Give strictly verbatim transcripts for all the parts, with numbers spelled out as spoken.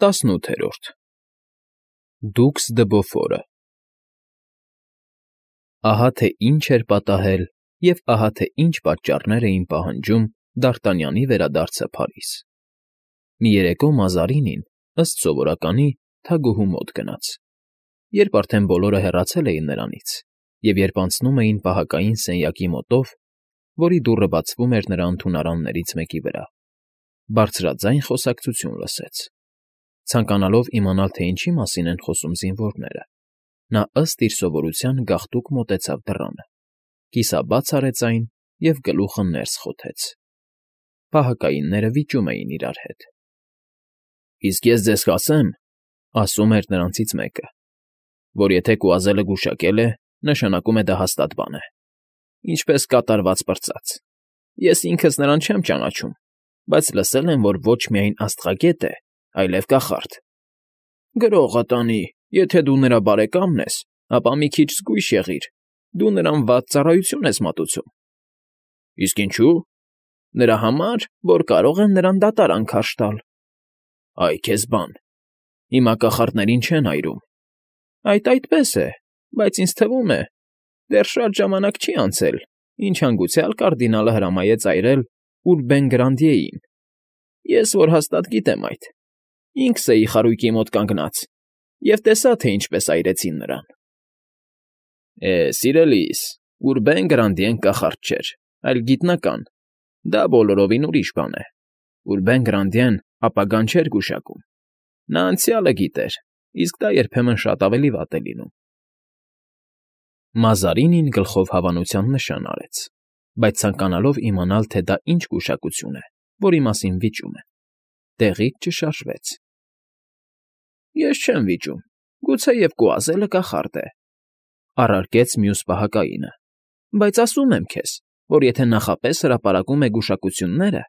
ՏԱՍՆՈՒԹԵՐՈՐԴ Դուքս դը Բոֆորը Ահա թե ինչ էր պատահել և ահա թե ինչ պատճառներ էին պահանջում Դ'Արտանյանի վերադարձը Փարիզ. Մի երեկո Մազարինին, ըստ սովորականի, թագուհու մոտ գնաց, երբ արդեն բոլորը հեռացել էին նրանից, և երբ անցնում էին պահակային սենյակի մոտով, որի դուռը բացվում էր նրա ընդունարաններից մեկի վրա, բարձրաձայն խոսակցություն լսեց. ցանկանալով իմանալ, թե ինչի մասին են խոսում զինվորները, նա ըստ իր սովորության գաղտուկ մոտեցավ դռանը, կիսաբաց արեց այն և գլուխը ներս խոթեց. պահակայինները վիճում էին իրար հետ։ ֊ Իսկ ես ձեզ կասեմ, ֊ ասում էր նրանցից մեկը, ֊ որ եթե կուազելը գուշակել է, նշանակում է դա հաստատ բան է, ինչպես կատարված պրծած. ես ինքս նրան չեմ ճանաչում, բայց լսել եմ, որ ոչ միայն աստղագետ է, այլև կախարդ։ Գրողը տանի, եթե դու նրա բարեկամն ես, ապա մի քիչ զգույշ եղիր, դու նրան վատ ծառայություն ես մատուցում։ ֊ Իսկ ինչու՞։ ֊ Նրա համար, որ կարող են նրան դատարան քարշ տալ։ ֊ Այ քեզ բան, հիմա կախարդներին չեն այրում։ ֊ Այդ այդպես է, բայց ինձ թվում է, դեռ շատ ժամանակ չի անցել, ինչ հանգուցյալ կարդինալը հրամայեց այրել Ուրբեն֊Գրանդիեին. ես որ հաստատ գիտեմ այդ, ինքս էի խարույկի մոտ կանգնած և տեսա, թե ինչպես այրեցին նրան։ ֊ Է, սիրելիս, Ուրբեն֊Գրանդիեն կախարդ չէր, այլ գիտնական, դա բոլորովին ուրիշ բան է։ Ուրբեն֊Գրանդիեն ապագան չէր գուշակում, նա անցյալը գիտեր, իսկ դա երբեմն շատ ավելի վատ է լինում։ Մազարինին գլխով հավանության նշան արեց, բայց ցանկանալով իմանալ, թե դա ինչ գուշակություն է, որի մասին վիճում են, տեղից չշարժվեց։ ֊ Ես չեմ վիճում, գուցեև կուազելը կախարդ է, ֊ առարկեց մյուս պահակայինը, ֊ բայց ասում եմ քեզ, որ եթե նախապես հրապարակում է գուշակությունները,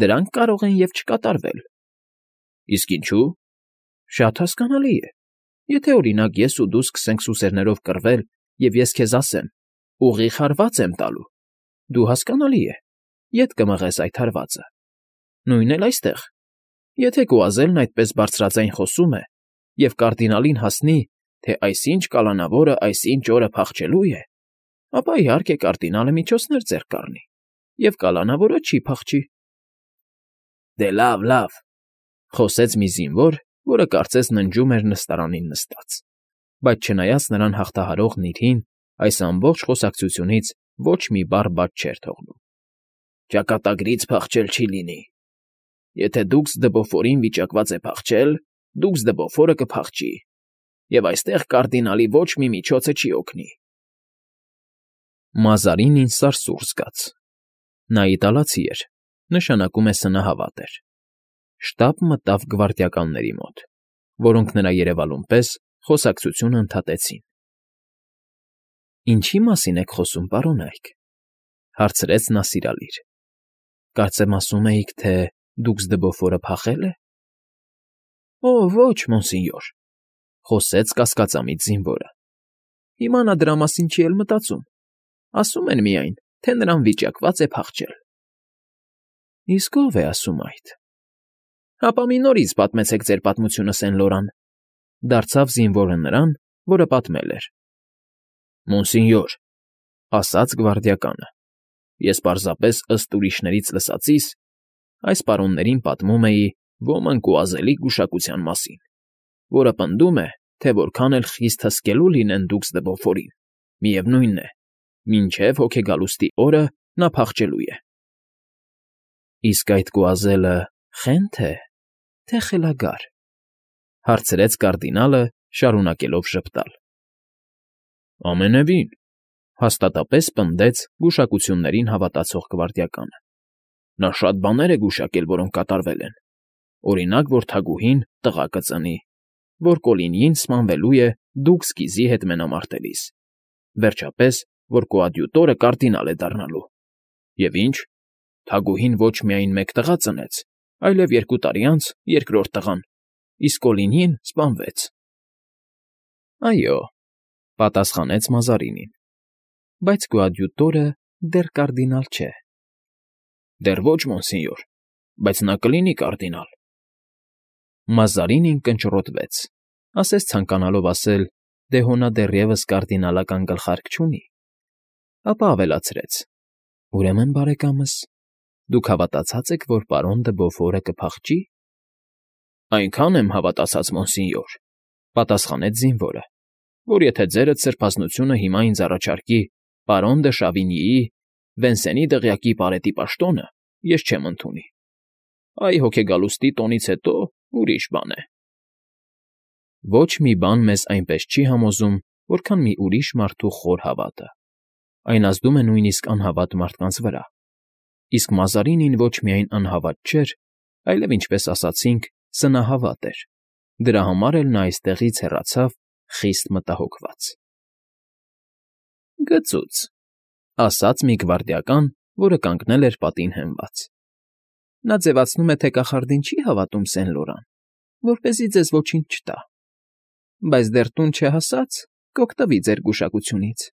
դրանք կարող են և չկատարվել։ ֊ Իսկ ինչու՞։ ֊ Շատ հասկանալի է, եթե, օրինակ, ես ու դու սկսենք սուսերներով կռվել, և ես քեզ ասեմ. ուղիղ հարված եմ տալու, դու, հասկանալի է, ետ կմղես այդ հարվածը։ Նույնն էլ այստեղ. եթե կուազելն այդպես բարձրաձայն խոսում է և կարդինալին հասնի, թե այսինչ կալանավորը այսինչ օրը փախչելու է, ապա, իհարկե, կարդինալը միջոցներ ձեռք կառնի, և կալանավորը չի փախչի։ ֊ Դե լավ, լավ, ֊ խոսեց մի զինվոր, որը կարծես ննջում էր նստարանին նստած, բայց չնայած նրան հաղթահարող նիրհին, այս ամբողջ խոսակցությունից ոչ մի բառ բաց չէր թողնում։ ֊ Ճակատագրից փախչել չի լինի։ Եթե Դուքս դը Բոֆորին վիճակված է փախչել, Դուքս դը Բոֆորը կփախչի, և այստեղ կարդինալի ոչ մի միջոցը չի օգնի։ Մազարինին սարսուռ զգաց. նա իտալացի էր, նշանակում է սնահավատ էր։ Շտապ մտավ գվարդիականների մոտ, որոնք նրա երևալուն պես խոսակցությունը ընդհատեցին։ ֊ Ինչի՞ մասին եք խոսում, պարոնայք, ֊ հարցրեց նա սիրալիր։ ֊ Կարծեմ ասում էիք, թե Դուքս դը Բոֆորը փախե՞լ է։ ֊ Օ՜, ոչ, մոնսինյոր, ֊ խոսեց կասկածամիտ զինվորը։ ֊ Հիմա նա դրա մասին չի էլ մտածում, ասում են միայն, թե նրան վիճակված է փախչել։ ֊ Իսկ ո՞վ է ասում այդ։ ֊ Հապա մի նորից պատմեցեք ձեր պատմությունը, Սեն֊Լորան, ֊ դարձավ զինվորը նրան, որը պատմել էր։ ֊ Մոնսինյոր, ֊ ասաց գվարդիականը, ֊ ես պարզապես ըստ ուրիշներից լսածիս այս պարոններին պատմում էի ոմն կուազելի գուշակության մասին, որը պնդում է, թե որքան էլ խիստ հսկելու լինեն Դուքս դը Բոֆորին, միևնույն է, մինչև հոգեգալուստի օրը նա փախչելու է։ ֊ Իսկ այդ կուազելը խե՞նթ է, թե խելագար, ֊ հարցրեց կարդինալը, շարունակելով ժպտալ։ ֊ Ամենևին, ֊ հաստատապես պնդեց գուշակություններին հավատացող գվարդիականը։ ֊ Նա շատ բաներ է գուշակել, որոնք կատարվել են, օրինակ, որ թագուհին տղա կծնի, որ Կոլինիին սպանվելու է Դուքս կիզի հետ մենամարտելիս, վերջապես, որ կոադյուտորը կարդինալ է դառնալու, և ինչ, թագուհին ոչ միայն մեկ տղա ծնեց, այլև երկու տարի անց երկրորդ տղան, իսկ Կոլինին սպանվեց։ ֊ Այո, ֊ պատասխանեց Մազարինին, ֊ բայց կոադյուտորը դեռ կարդինալ չէ։ ֊ Դեռ ոչ, մոնսինյոր, բայց նա կլինի կարդինալ։ Մազարինին կնճռոտվեց, ասես ցանկանալով ասել, դե հո նա դեռևս կարդինալական գլխարկ չունի, ապա ավելացրեց. ուրեմն, բարեկամս, դուք հավատացած եք, որ պարոն դը Բոֆորը կփախչի։ Այնքան եմ հավատացած, մոնսինյոր, պատասխանեց զինվորը, որ եթե ձերդ սրբազնությունը հիմա ինձ առաջարկի պարոն դը Շավինիի, Վենսենի դղյակի պարետի պաշտոնը, ես չեմ ընդունի։ Այ հոգեգալուստի տոնից հետո ուրիշ բան է։ Ոչ մի բան մեզ այնպես չի համոզում, որքան մի ուրիշ մարդու խոր հավատը։ Այն ազդում է նույնիսկ անհավատ մարդկանց վրա։ Իսկ Մազարինին ոչ միայն անհավատ չէր, այլև, ինչպես ասացինք, սնահավատ էր։ Դրա համար էլ նա այստեղից հեռացավ խիստ մտահոգված։ Գծուծ, ասաց մի գվարդիական, որը կանգնել էր պատին հենված։ Նա ձևացնում է, թե կախարդին չի հավատում Սեն֊Լորան, որպեսզի ձեզ ոչինչ չտա, բայց դեռ տուն չհասած կօգտվի ձեր գուշակությունից։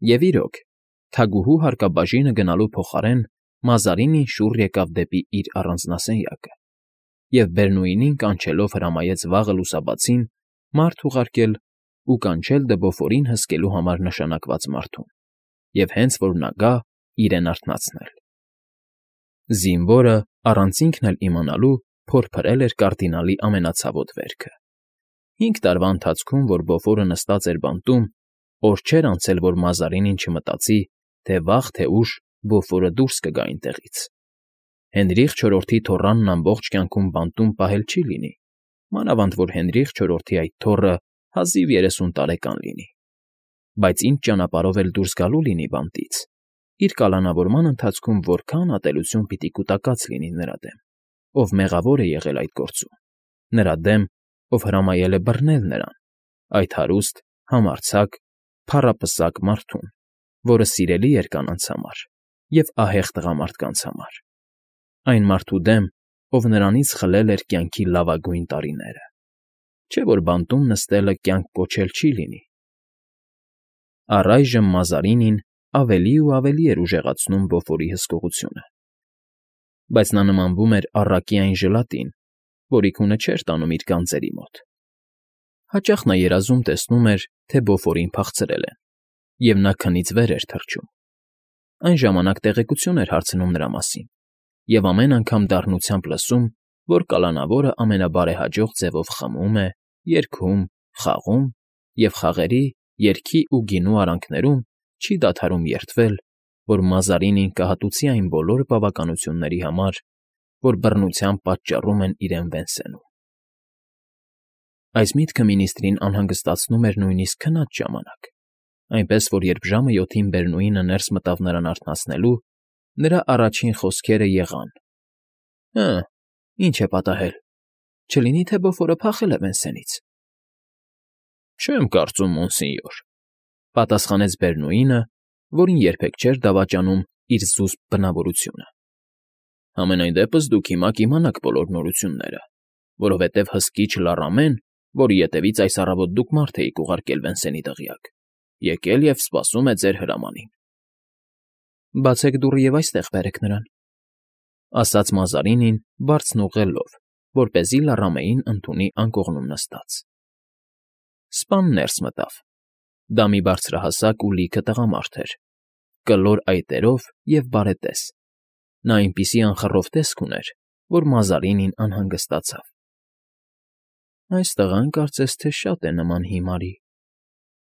Եվ իրոք, թագուհու հարկաբաժինը գնալու փոխարեն Մազարինին շուռ եկավ դեպի իր առանձնասենյակը և Բերնուինին կանչելով հրամայեց վաղը լուսաբացին մարդ ուղարկել ու կանչել Դեբոֆորին հսկելու համար նշանակված մարդուն և հենց որ նա գա, իրեն արթնացնել։ Զինվորը, առանց ինքն էլ իմանալու, փորփրել էր կարդինալի ամենացավոտ վերքը։ Հինգ տարվա ընթացքում, որ Բոֆորը նստած էր բանտում, օր չէր անցել, որ Մազարինին չմտածի, թե վաղ թե ուշ Բոֆորը դուրս կգա այնտեղից։ Հենրիխ չորրորդի թոռանն ամբողջ կյանքում բանտում պահել չի լինի, մանավանդ որ Հենրիխ չորրորդի այդ թոռը հազիվ երեսուն տարեկան լինի։ Բայց ինչ ճանապարհով էլ դուրս գալու լինի բանտից, իր կալանավորման ընթացքում որքան ատելություն պիտի կուտակած լինի նրա դեմ, ով մեղավոր է եղել այդ գործում, նրա դեմ, ով հրամայել է բռնել նրան, այդ հարուստ, համարձակ, փառապսակ մարդուն, որը սիրելի էր կանանց համար և ահեղ տղամարդկանց համար, այն մարդու դեմ, ով նրանից խլել էր կյանքի լավագույն տարիները, չէ՞ որ բանտում նստելը կյանք կոչել չի լինի։ Առայժմ Մազարինին ավելի ու ավելի էր ուժեղացնում Բոֆորի հսկողությունը, բայց նա նմանվում էր առակի այն ժլատին, որի քունը չէր տանում իր գանձերի մոտ։ Հաճախ նա երազում տեսնում էր, թե Բոֆորին փախցրել են, և նա քնից վեր էր թռչում։ Այն ժամանակ տեղեկություն էր հարցնում նրա մասին, և ամեն անգամ դառնությամբ լսում, որ կալանավորը ամենաբարեհաջող ձևով խմում է, երգում, խաղում և խաղերի, երգի ու գինու արանքներում չի դադարում երդվել, որ Մազարինին կհատուցի այն բոլոր բավականությունների համար, որ բռնությամբ պատճառում են իրեն Վենսենում։ Այս միտքը մինիստրին անհանգստացնում էր նույնիսկ քնած ժամանակ, այնպես որ երբ ժամը յոթին Բերնուինը ներս մտավ նրան արթնացնելու, նրա առաջին խոսքերը եղան. «Հը, ի՞նչ է պատահել, չլինի թե Բոֆորը փախել է Վենսենից»։ Չեմ կարծում, մոնսինյոր, պատասխանեց Բերնուինը, որին երբեք չէր դավաճանում իր զուսպ բնավորությունը։ Համենայն դեպս դուք հիմա կիմանաք բոլոր նորությունները, որովհետև հսկիչ Լարամեն, որի ետևից այս առավոտ դուք մարդ էիք ուղարկել Վենսենի դղյակ, եկել և սպասում է ձեր հրամանին։ Բացեք դուռը և այստեղ բերեք նրան, ասաց Մազարինին բարձն ուղղելով, որպեսզի Լարամեին ընդունի անկողնում նստած։ Սպան ներս մտավ։ Դա մի բարձրահասակ ու լիքը տղամարդ էր, կլոր այտերով և բարետես։ Նա այնպիսի անխռով տեսք ուներ, որ Մազարինին անհանգստացավ։ Այս տղան կարծես թե շատ է նման հիմարի,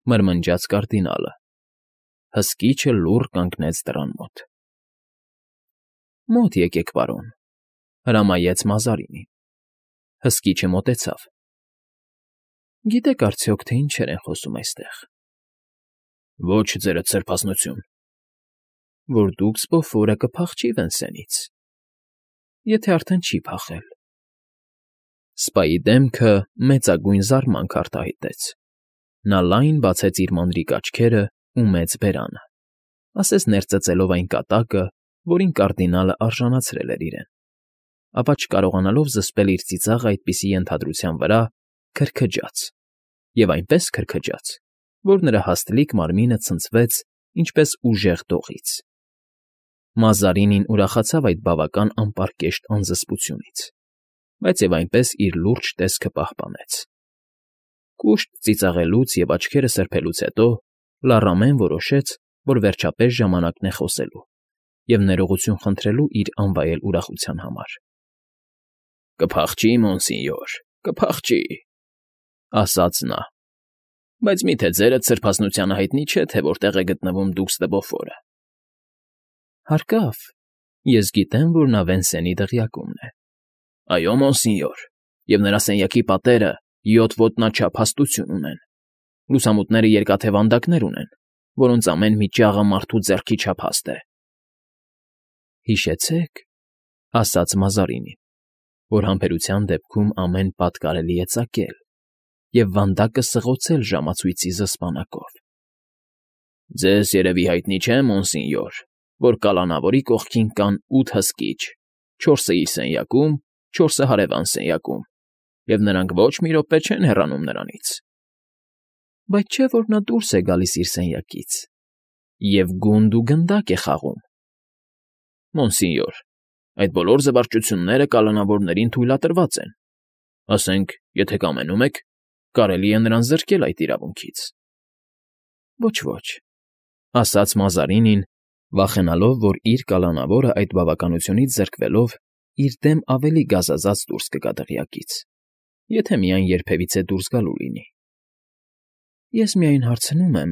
մրմնջաց կարդինալը։ Հսկիչը լուռ կանգնեց դռան մոտ։ Մոտ եկեք, պարոն, հրամայեց Մազարինին։ Հսկիչը մոտեցավ։ Գիտեք արդյոք, թե ինչեր են խոսում այստեղ։ Ոչ, ձերդ սրբազնություն։ Որ դուքս Բոֆորը կփախչի Վենսենից, եթե արդեն չի փախել։ Սպայի դեմքը մեծագույն զարմանք արտահայտեց։ Նա լայն բացեց իր մանրիկ աչքերը ու մեծ բերանը, ասես ներծծելով այն կատակը, որին կարդինալը արժանացրել էր իրեն, ապա չկարողանալով զսպել իր ծիծաղը այդպիսի ենթադրության վրա, քրքջաց, և այնպես քրքջաց, որ նրա հաստլիկ մարմինը ցնցվեց ինչպես ուժեղ դողից։ Մազարինին ուրախացավ այդ բավական անպարկեշտ անզսպությունից, բայց և այնպես իր լուրջ տեսքը պահպանեց։ Կուշտ ծիծաղելուց և աչքերը սրբելուց հետո Լառամեն որոշեց, որ վերջապես ժամանակն է խոսելու և ներողություն խնդրելու իր անվայել ուրախության համար։ ֊ Կփախչի, մոնսինյոր, կփախչի,֊ ասաց նա,֊ բայց մի՞թե ձերդ սրբազնությանը հայտնի չէ, թե որտեղ է գտնվում Դուքս դը Բոֆորը։ ֊ Հարկավ, ես գիտեմ, որ նա Վենսենի դղյակումն է։ ֊ Այո, մոնսինյոր, և նրա սենյակի պատերը յոթ ոտնաչափ հաստություն ունեն, լուսամուտները երկաթե վանդակներ ունեն, որոնց ամեն մի ճաղը մարդու ձեռքի չափ հաստ է։ ֊ Հիշեցեք,֊ ասաց Մազարինին,֊ որ համբերության դեպքում ամեն պատ կարելի է ծակել և վանդակը սղոցել ժամացույցի զսպանակով։ ֊ Ձեզ երևի հայտնի չէ, մոնսինյոր, որ կալանավորի կողքին կան ութ հսկիչ, չորսը իր սենյակում, չորսը հարևան սենյակում, և նրանք ոչ մի րոպե չեն հեռանում նրանից։ ֊ Բայց չէ՞ որ նա դուրս է գալիս իր սենյակից և գունդ ու գնդակ է խաղում։ ֊ Մոնսինյոր, այդ բոլոր զվարճությունները կալանավորներին թույլատրված են, ասենք, եթե կամենում եք, կարելի է նրան զրկել այդ իրավունքից։ ֊ Ոչ, ոչ,֊ ասաց Մազարինին, վախենալով, որ իր կալանավորը այդ բավականությունից զրկվելով իր դեմ ավելի գազազած դուրս կգա դղյակից, եթե միայն երբևիցե դուրս գալու լինի։ ֊ Ես միայն հարցնում եմ,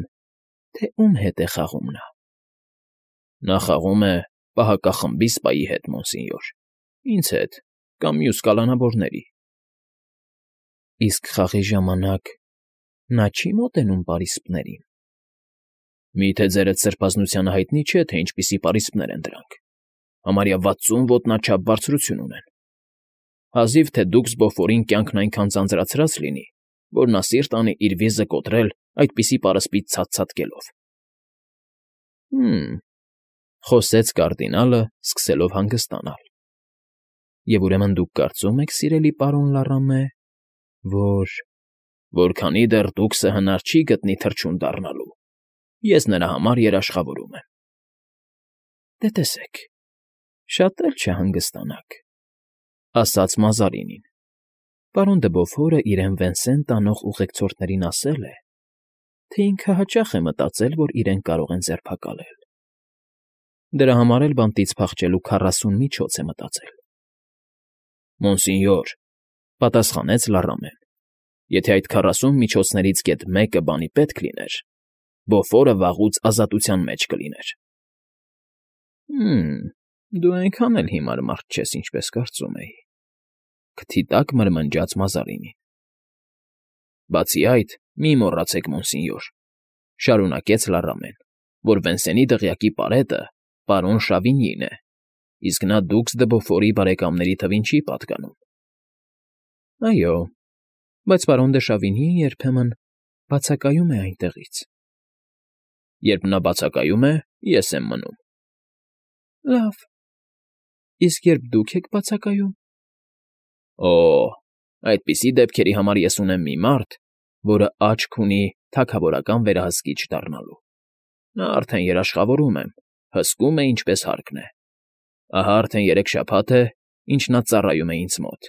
թե ում հետ է խաղում նա։ ֊ Նա խաղում է պահակախմբի սպայի հետ, մոնսինյոր, ինձ հետ կամ մյուս կալանավորների։ ֊ Իսկ խաղի ժամանակ նա չի՞ մոտենում պարիսպներին։ ֊ Մի՞թե ձերդ սրբազնությանը հայտնի չէ, թե ինչպիսի պարիսպներ են դրանք, համարյա վաթսուն ոտնաչափ բարձրություն ունեն։ Հազիվ թե Դուքս Բոֆորին կյանքն այնքան ձանձրացրած լինի, որ նա սիրտ անի իր վիզը կոտրել այդպիսի պարսպից ցած֊ցատկելով։ ֊ Հը՛մ,֊ խոսեց կարդինալը, սկսելով հանգստանալ,֊ և ուրեմն դուք կարծում եք, սիրելի պարոն Լառամե, որ… որ քանի դեռ Դուքսը հնար չի գտնի թռչուն դառնալու, ես նրա համար երաշխավորում եմ։ ֊ Դե, տեսեք, շատ էլ չհանգստանաք,֊ ասաց Մազարինին։ Պարոն դը Բոֆորը իրեն Վենսեն տանող ուղեկցորդներին ասել է, թե ինքը հաճախ է մտածել, որ իրեն կարող են ձերբակալել. դրա համար էլ բանտից փախչելու քառասուն միջոց է մտածել։ ֊ Մոնսինյոր,֊ պատասխանեց Լառամեն,֊ եթե այդ քառասուն միջոցներից գեթ մեկը բանի պետք լիներ, Բոֆորը վաղուց ազատության մեջ կլիներ։ ֊ Հը՛մ, դու այնքան էլ հիմար մարդ չես, ինչպես կարծում էի,֊ քթի տակ մրմնջաց Մազարինին։ ֊ Բացի այդ, մի մոռացեք, մոնսինյոր,֊ շարունակեց Լառամեն,֊ որ Վենսենի դղյակի պարետը պարոն Շավինիին է, իսկ նա Դուքս դը Բոֆորի բարեկամների թվին չի պատկանում։ ֊ Այո, բայց պարոն դը Շավինիը երբեմն բացակայում է այնտեղից։ ֊ Երբ նա բացակայում է, ես եմ մնում։ ֊ Լավ, իսկ երբ դուք եք բացակայում։ ֊ Օ՜, այդպիսի դեպքերի համար ես ունեմ մի մարդ, որը աչք ունի թագավորական վերահսկիչ դառնալու։ Նա արդեն երաշխավորում եմ, հսկում է, ինչպես հարկն է։ Ահա արդեն երեք շաբաթ է, ինչ նա ծառայում է ինձ մոտ,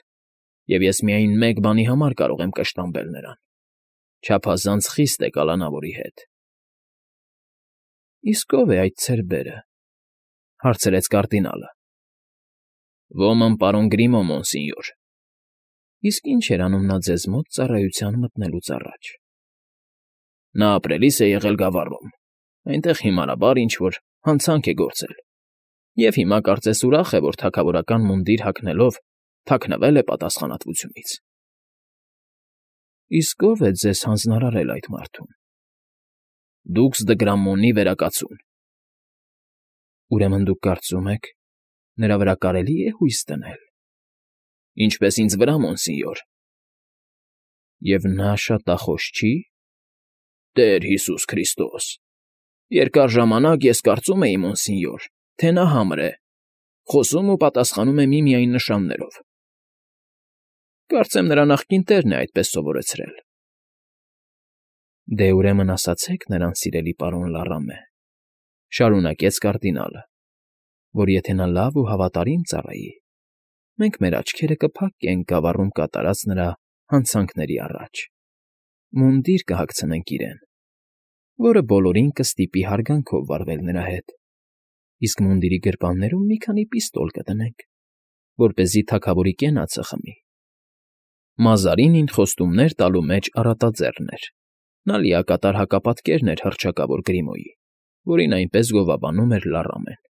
և ես միայն մեկ բանի համար կարող եմ կշտամբել նրան. չափազանց խիստ է կալանավորի հետ։ ֊ Իսկ ո՞վ է այդ ցերբերը,֊ հարցրեց կարդինալը։ ֊ Ոմն պարոն Գրիմո, մոնսինյոր։ ֊ Իսկ ի՞նչ էր անում նա ձեզ մոտ ծառայության մտնելուց առաջ։ ֊ Նա ապրելիս է եղել Գավառում, այնտեղ հիմարաբար ինչ֊որ հանցանք է գործել, և հիմա կարծես ուրախ է, որ թագավորական մունդիր հագնելով թաքնվել է պատասխանատվությունից։ ֊ Իսկ ո՞վ է ձեզ հանձնարարել այդ մարդուն։ ֊ Դուքս դը Գրամմոնի վերակացուն։ ֊ Ուրեմն դուք կարծում եք, նրա վրա կարելի է հույս դնել։ ֊ Ինչպես ինձ վրա, մոնսինյոր։ ֊ Եվ նա շատախոս չի։ ֊ Տեր Հիսուս Քրիստոս… Երկար ժամանակ ես կարծում էի, մոնսինյոր, թե նա համր է, խոսում ու պատասխանում է միմիայն նշաններով։ ֊ Կարծեմ նրա նախկին տերն է այդպես սովորեցրել։ ֊ Դե, ուրեմն ասացեք նրան, սիրելի պարոն Լառամե,֊ շարունակեց կարդինալը,֊ որ եթե նա լավ ու հավատարիմ ծառայի, մենք մեր աչքերը կփակենք գավառում կատարած նրա հանցանքների առաջ, մունդիր կհագցնենք իրեն, որը բոլորին կստիպի հարգանքով վարվել նրա հետ, իսկ մունդիրի գրպաններում մի քանի պիստոլ կդնենք, որպեսզի թագավորի կենացը խմի։ Մազարինին խոստումներ տալու մեջ առատաձեռն էր. նա լիակատար հակապատկերն էր հռչակավոր Գրիմոյի, որին այնպես գովաբանում էր Լարամեն։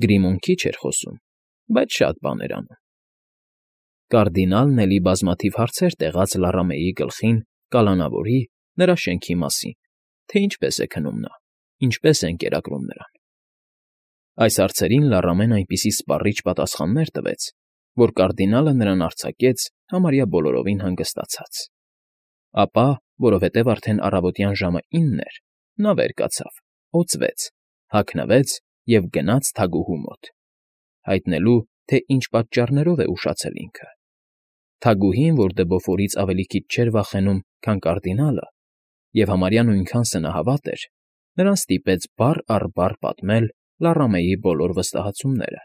Գրիմոն քիչ էր խոսում, բայց շատ բան էր անում։ Կարդինալն էլի բազմաթիվ հարցեր տեղաց Լարամեի գլխին կալանավորի, նրա շենքի մասին, թե ինչպես է քնում նա, ինչպես են կերակրում նրան։ Այս հարցերին Լարամեն այնպիսի սպառիչ պատասխաններ տվեց, որ կարդինալը նրան արձակեց համարյա բոլորովին հանգստացած։ Ապա, որովհետև արդեն առավոտյան ժամը ինն էր, նա վեր կացավ, օծվեց, հագնվեց և գնաց թագուհու մոտ, հայտնելու, թե ինչ պատճառներով է ուշացել ինքը։ Թագուհին, որ դբոֆորից ավելի քիչ չէր վախենում, քան կարդինալը, և համարյա նույնքան սնահավատ էր, նրան ստիպեց բառ առ բառ պատմել Լարամեի բոլոր վստահությունները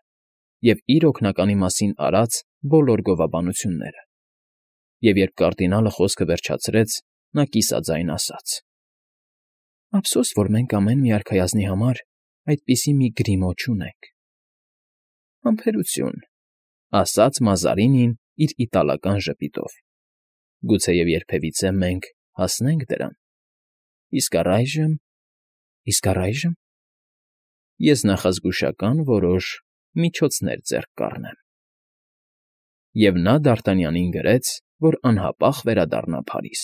և իր օգնականի մասին արած բոլոր գովաբանությունները։ Եվ երբ կարդինալը խոսքը վերջացրեց, նա կիսաձայն ասաց. «Ափսոս, որ մենք ամեն մի արքայազնի համար այդպիսի մի Գրիմո չունենք»։ «Համբերություն,֊ ասաց Մազարինին իր իտալական ժպիտով,֊ գուցեև երբևիցե մենք հասնենք դրան։ Իսկ առայժմ… իսկ առայժմ… ես նախազգուշական որոշ միջոցներ ձեռք կառնեմ»։ Եվ նա Դ'Արտանյանին գրեց, որ անհապաղ վերադառնա Փարիզ։